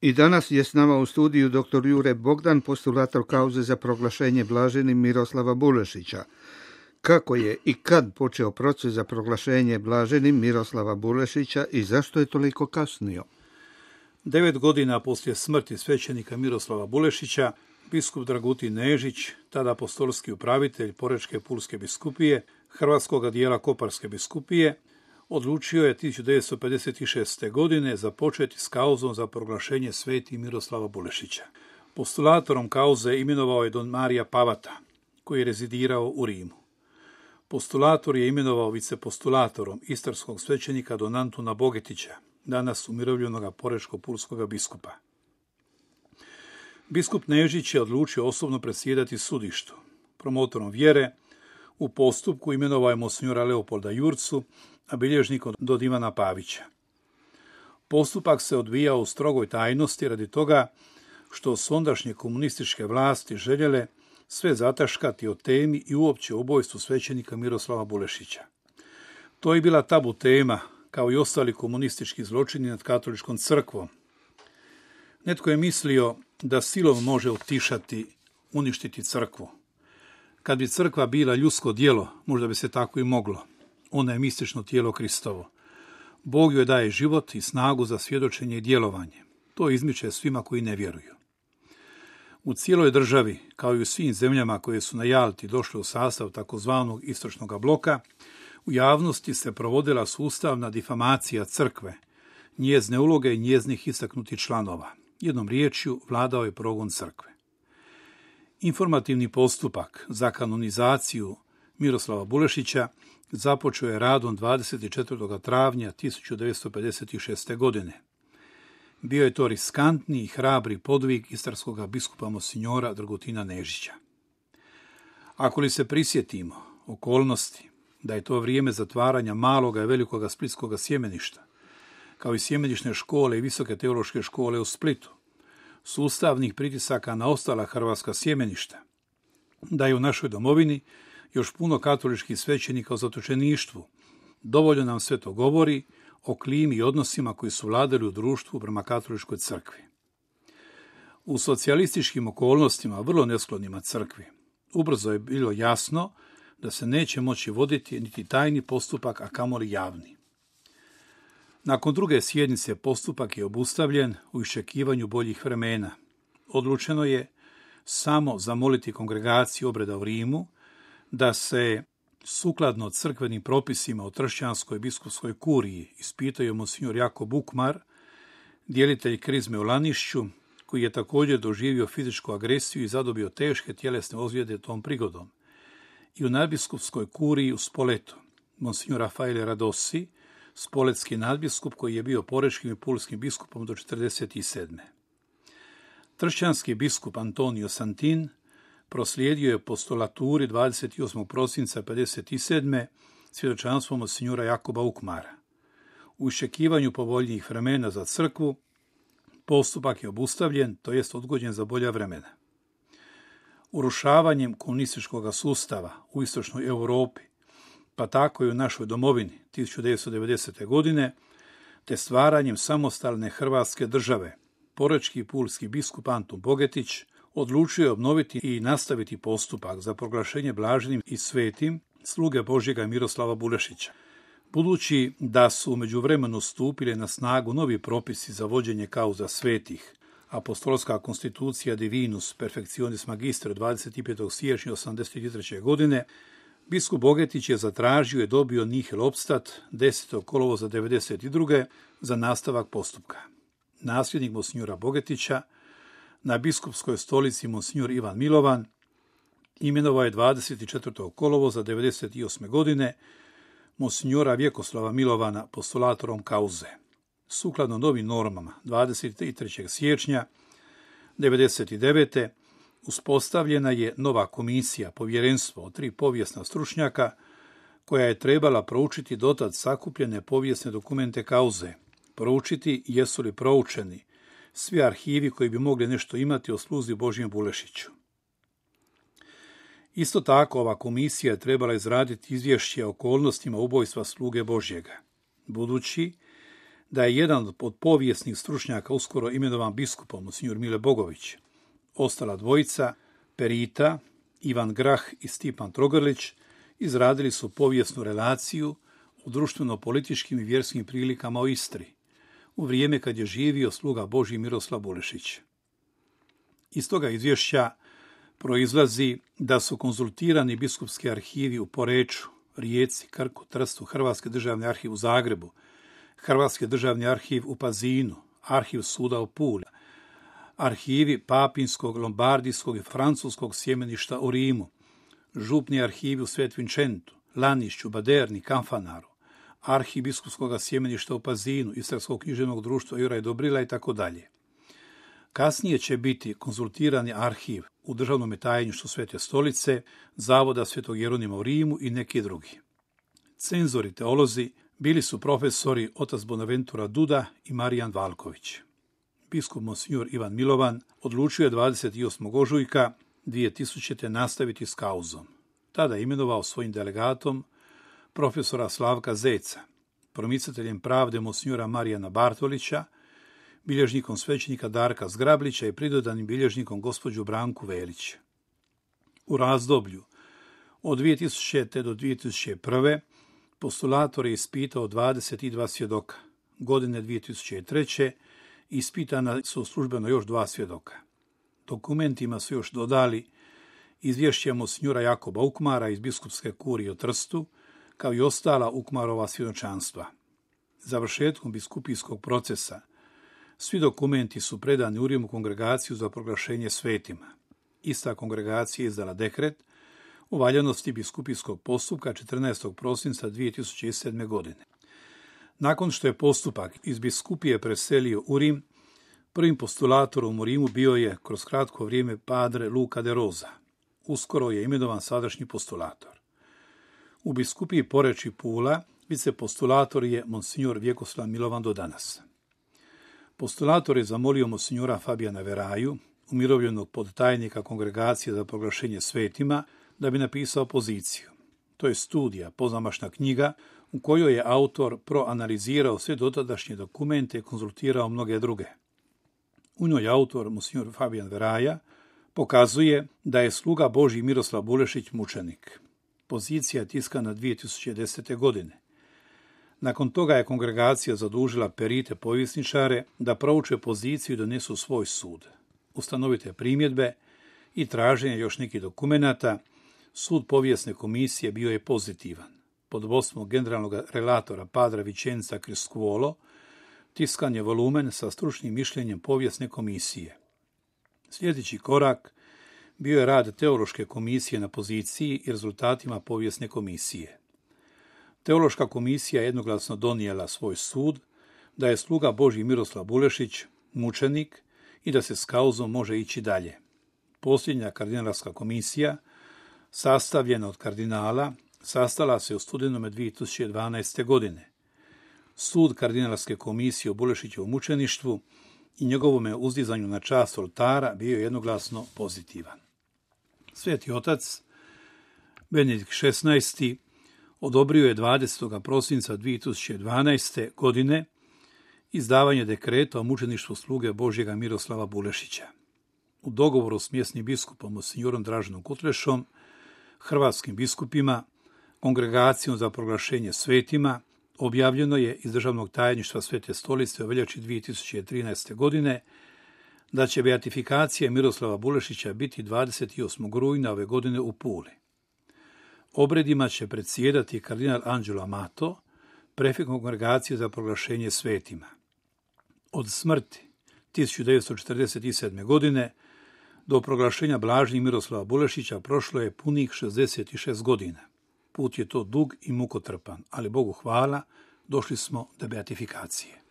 I danas je s nama u studiju dr. Jure Bogdan, postulator kauze za proglašenje blaženim Miroslava Bulešića. Kako je i kad počeo proces za proglašenje blaženim Miroslava Bulešića i zašto je toliko kasnio? 9 godina poslije smrti svećenika Miroslava Bulešića, biskup Dragutin Nežić, tada apostolski upravitelj Porečke Pulske biskupije, hrvatskog dijela Koparske biskupije, odlučio je 1956. godine započeti s kauzom za proglašenje sveti Miroslava Bulešića. Postulatorom kauze imenovao je don Marija Pavata, koji je rezidirao u Rimu. Postulator je imenovao vicepostulatorom istarskog svećenika don Antuna Bogetića, danas umirovljenog porečko-pulskog biskupa. Biskup Nežić je odlučio osobno predsjedati sudištu. Promotorom vjere u postupku imenovao je monsignora Leopolda Jurcu, a bilježnikom don Ivana Pavića. Postupak se odvijao u strogoj tajnosti radi toga što su ondašnje komunističke vlasti željele sve zataškati o temi i uopće ubojstvu svećenika Miroslava Bulešića. To je bila tabu tema, kao i ostali komunistički zločini nad katoličkom crkvom. Netko je mislio da silom može utišati, uništiti crkvu. Kad bi crkva bila ljudsko djelo, možda bi se tako i moglo. Ona je mistično tijelo Kristovo. Bog joj daje život i snagu za svjedočenje i djelovanje. To izmiče svima koji ne vjeruju. U cijeloj državi, kao i u svim zemljama koje su na Jalti došle u sastav takozvanog istočnog bloka, u javnosti se provodila sustavna difamacija crkve, njezine uloge i njeznih istaknutih članova. Jednom riječju vladao je progon crkve. Informativni postupak za kanonizaciju Miroslava Bulešića započeo je radom 24. travnja 1956. godine. Bio je to riskantni i hrabri podvig istarskog biskupa monsignora Dragutina Nežića. Ako li se prisjetimo okolnosti da je to vrijeme zatvaranja maloga i velikoga splitskog sjemeništa, kao i sjemenišne škole i visoke teološke škole u Splitu, sustavnih pritisaka na ostala hrvatska sjemeništa, da je u našoj domovini još puno katoličkih svećenika u zatočeništvu, dovoljno nam sve to govori o klimi i odnosima koji su vladali u društvu prema katoličkoj crkvi. U socijalističkim okolnostima, vrlo nesklonima crkvi, ubrzo je bilo jasno da se neće moći voditi niti tajni postupak, a kamoli javni. Nakon druge sjednice postupak je obustavljen u iščekivanju boljih vremena. Odlučeno je samo zamoliti kongregaciju obreda u Rimu da se sukladno crkvenim propisima o Tršćanskoj biskupskoj kuriji ispitaju monsignor Jako Bukmar, djelitelj krizme u Lanišću, koji je također doživio fizičku agresiju i zadobio teške tjelesne ozljede tom prigodom, i u nadbiskupskoj kuriji u Spoletu, monsignor Rafaele Radossi, spoletski nadbiskup koji je bio porečkim i pulskim biskupom do 1947. Tršćanski biskup Antonio Santin proslijedio je postulaturi 28. prosinca 1957. svjedočanstvo monsignora Jakoba Ukmara. U iščekivanju povoljnijih vremena za crkvu, postupak je obustavljen, to jest odgođen za bolja vremena. Urušavanjem komunističkog sustava u istočnoj Europi, pa tako i u našoj domovini 1990. godine, te stvaranjem samostalne Hrvatske države, porečki i pulski biskup Antun Bogetić odlučio je obnoviti i nastaviti postupak za proglašenje blaženim i svetim sluge Božjega Miroslava Bulešića. Budući da su u međuvremenu stupili na snagu novi propisi za vođenje kauza svetih, apostolska konstitucija Divinus Perfectionis Magister 25. siječnja 1983. godine, biskup Bogetić je zatražio i dobio nihil obstat 10. kolovoza 1992. za nastavak postupka. Nasljednik monsignora Bogetića na biskupskoj stolici monsignor Ivan Milovan imenovao je 24. kolovoza 1998. godine monsignora Vjekoslava Milovana postulatorom kauze. Sukladno novim normama 23. siječnja 1999. uspostavljena je nova komisija, povjerenstvo od 3 povijesna stručnjaka, koja je trebala proučiti dotad sakupljene povijesne dokumente kauze, proučiti jesu li proučeni svi arhivi koji bi mogli nešto imati o sluzi Božjem Bulešiću. Isto tako, ova komisija je trebala izraditi izvješće o okolnostima ubojstva sluge Božjega. Budući da je jedan od povijesnih stručnjaka uskoro imenovan biskupom, monsignor Mile Bogović. Ostala dvojica, Perita, Ivan Grah i Stipan Trogrlić, izradili su povijesnu relaciju u društveno-političkim i vjerskim prilikama u Istri, u vrijeme kad je živio sluga Božji Miroslav Bulešić. Iz toga izvješća proizlazi da su konzultirani biskupski arhivi u Poreču, Rijeci, Krku, Trstu, Hrvatski državni arhiv u Zagrebu, Hrvatski državni arhiv u Pazinu, Arhiv suda u Puli, arhivi Papinskog, Lombardijskog i Francuskog sjemeništa u Rimu, župni arhivi u Svet Vincentu, Lanišću, Baderni, Kanfanaru, arhiv biskupskog sjemeništa u Pazinu, Istarskog književnog društva Juraj Dobrila i tako dalje. Kasnije će biti konzultirani arhiv u državnom tajništvu Svete stolice, Zavoda Svetog Jeronima u Rimu i neki drugi. Cenzori teolozi bili su profesori otac Bonaventura Duda i Marijan Valković. Biskup monsignor Ivan Milovan odlučio je 28. ožujka 2000. nastaviti s kauzom. Tada je imenovao svojim delegatom profesora Slavka Zeca, promicateljem pravde monsignora Marijana Bartolića, bilježnikom svećenika Darka Zgrablića i pridodanim bilježnikom gospođu Branku Velić. U razdoblju od 2000. do 2001. postulator je ispitao 22 svjedoka. Godine 2003. ispitana su službeno još 2 svjedoka. Dokumentima su još dodali izvješće monsignora Jakoba Ukmara iz biskupske kurije u Trstu, kao i ostala Ukmarova svjedočanstva. Završetkom biskupijskog procesa svi dokumenti su predani u Rimu kongregaciju za proglašenje svetima. Ista kongregacija je izdala dekret o valjanosti biskupijskog postupka 14. prosinca 2007. godine. Nakon što je postupak iz biskupije preselio u Rim, prvim postulatorom u Rimu bio je kroz kratko vrijeme padre Luca de Rosa. Uskoro je imenovan sadašnji postulator. U biskupiji Poreč i Pula vicepostulator je monsignor Vjekoslav Milovan do danas. Postulator je zamolio monsignora Fabijana Veraju, umirovljenog podtajnika kongregacije za proglašenje svetima, da bi napisao poziciju. To je studija, pozamašna knjiga, u kojoj je autor proanalizirao sve dotadašnje dokumente i konzultirao mnoge druge. U njoj autor, monsignor Fabijan Veraja, pokazuje da je sluga Božji Miroslav Bulešić mučenik. Pozicija je tiskana 2010. godine. Nakon toga je kongregacija zadužila perite povjesničare da prouče poziciju i donesu svoj sud. Ustanovite primjedbe i traženje još nekih dokumenata, sud povijesne komisije bio je pozitivan. Pod vodstvom generalnog relatora padra Vicenza Criscuolo tiskan je volumen sa stručnim mišljenjem povijesne komisije. Sljedeći korak bio je rad teološke komisije na poziciji i rezultatima povijesne komisije. Teološka komisija je jednoglasno donijela svoj sud da je sluga Božji Miroslav Bulešić mučenik i da se s kauzom može ići dalje. Posljednja kardinalska komisija, sastavljena od kardinala, sastala se u studenome 2012. godine. Sud kardinalske komisije o Bulešićevom mučeništvu i njegovome uzdizanju na čast oltara bio je jednoglasno pozitivan. Sveti otac Benedikt XVI odobrio je 20. prosinca 2012. godine izdavanje dekreta o mučeništvu sluge Božjega Miroslava Bulešića. U dogovoru s mjesnim biskupom monsignorom Draženom Kutlešom, hrvatskim biskupima, kongregacijom za proglašenje svetima, objavljeno je iz državnog tajništva Svete stolice u veljači 2013. godine da će beatifikacija Miroslava Bulešića biti 28. rujna ove godine u Puli. Obredima će predsjedati kardinal Angelo Amato, prefekt kongregacije za proglašenje svetima. Od smrti 1947. godine do proglašenja blažnih Miroslava Bulešića prošlo je punih 66 godina. Put je to dug i mukotrpan, ali Bogu hvala, došli smo do beatifikacije.